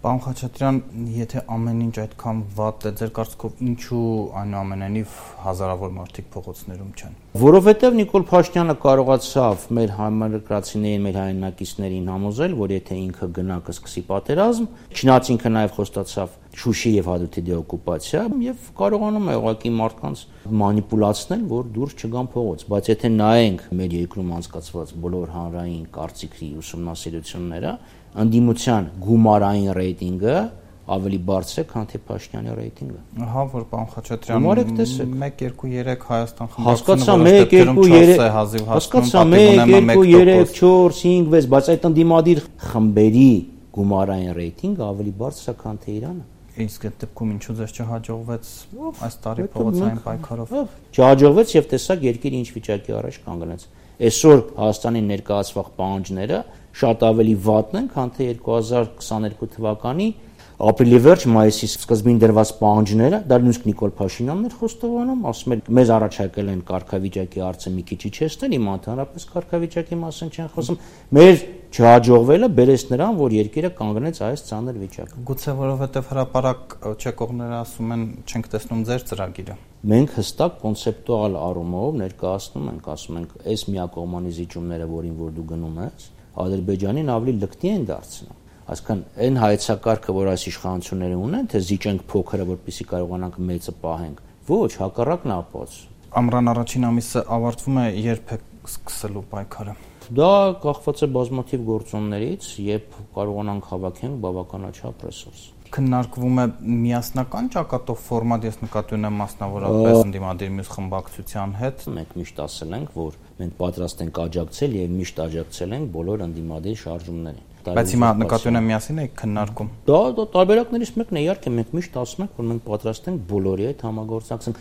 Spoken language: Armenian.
Պարոն Խաչատրյան, եթե ամեն ինչ այդքան վատ է, ձեր կարծիքով ինչու այնուամենայնիվ հազարավոր մարդիկ փողոցներում չեն։ Որովհետև Նիկոլ Փաշինյանը կարողացավ մեր համայնքրացիներին, մեր հայրենակիցներին համոզել, որ եթե ինքը գնա կսկսի պատերազմ, չնայած ինքը նաև խոստացավ Շուշի եւ Հադրութի դեօկուպացիա եւ կարողանում է ուղղակի մարդկանց մանիպուլացնել, որ դուրս չգան փողոց, բայց եթե նայենք մեր երկրում անցկացված բոլոր հանրային կարծիքի ուսումնասիրությունները, ընդդիմության գումարային ռեյտինգը ավելի բարձր է, քան թե Փաշինյանի ռեյտինգը։ Ահա որ պարոն Խաչատրյան 1 2 3 Հայաստան խմբակցությունը, բայց այդ ընդդիմադիր խմբերի գումարային ռեյտինգը ավելի բարձր է, քան թե Իրանը։ Իսկ այդ դեպքում ինչու ձեզ չհաջողվեց այս տարի փողոցային պայքարով։ Չհաջողվեց եւ տեսակ երկիրը ինչ վիճակի առաջ կանգնեց։ Այսօր Հայաստանի ներկայացվող պահանջները շատ ավելի վատն են, քան թե 2022 թվականի ապրիլի վերջ մայիսի սկզբին դրված պահանջները, դա նույնիսկ Նիկոլ Փաշինյանն էր խոստովանում, ասում էր մեզ առաջարկել են կարգավիճակի հարցը մի քիչ իջեցնել, հիմա ընդհանրապես կարգավիճակի մասին չեն խոսում։ Մեր չհաջողվելը բերեց նրան, որ երկիրը կանգնեց այս ծանր վիճակում։ Գուցե որովհետև հրապարակ չեկողները ասում են չենք տեսնում ձեր ծրագիրը։ Մենք հստակ կոնցեպտուալ առումով ներկայացնում ենք, ասում ենք, այս միակողմանի զիջումները, որին որ դու գնում ես, Ադրբեջանին ավելի լկտի են դարձնում։ Այսինքն այն հայեցակարգը, որ այս իշխանությունները ունեն, թե զիջենք փոքրը, որպեսզի կարողանանք մեծը պահենք, ոչ, հակառակն ապոց։ Ամռան առաջին ամիսը ավարտվում է, երբ է սկսելու պայքարը։ Դա կախված է բազմաթիվ գործոններից, երբ կարողանանք հավաքենք բավականաչափ ռեսուրս։ Քննարկվում է միասնական ճակատով ֆորմատ, ես նկատի ունեմ մասնավորապես ընդդիմադիր մյուս խմբակցության հետ։ Մենք միշտ ասել ենք, որ մենք պատրաստ ենք աջակցել եւ միշտ աջակցել ենք բոլոր ընդդիմադիր շարժումներին։ Բայց հիմա նկատի ունեմ միասին եք քննարկում։ Դա տարբերակներից մեկն է, իհարկե մենք միշտ ասում ենք, որ մենք պատրաստ ենք բոլորի հետ համագործակցենք։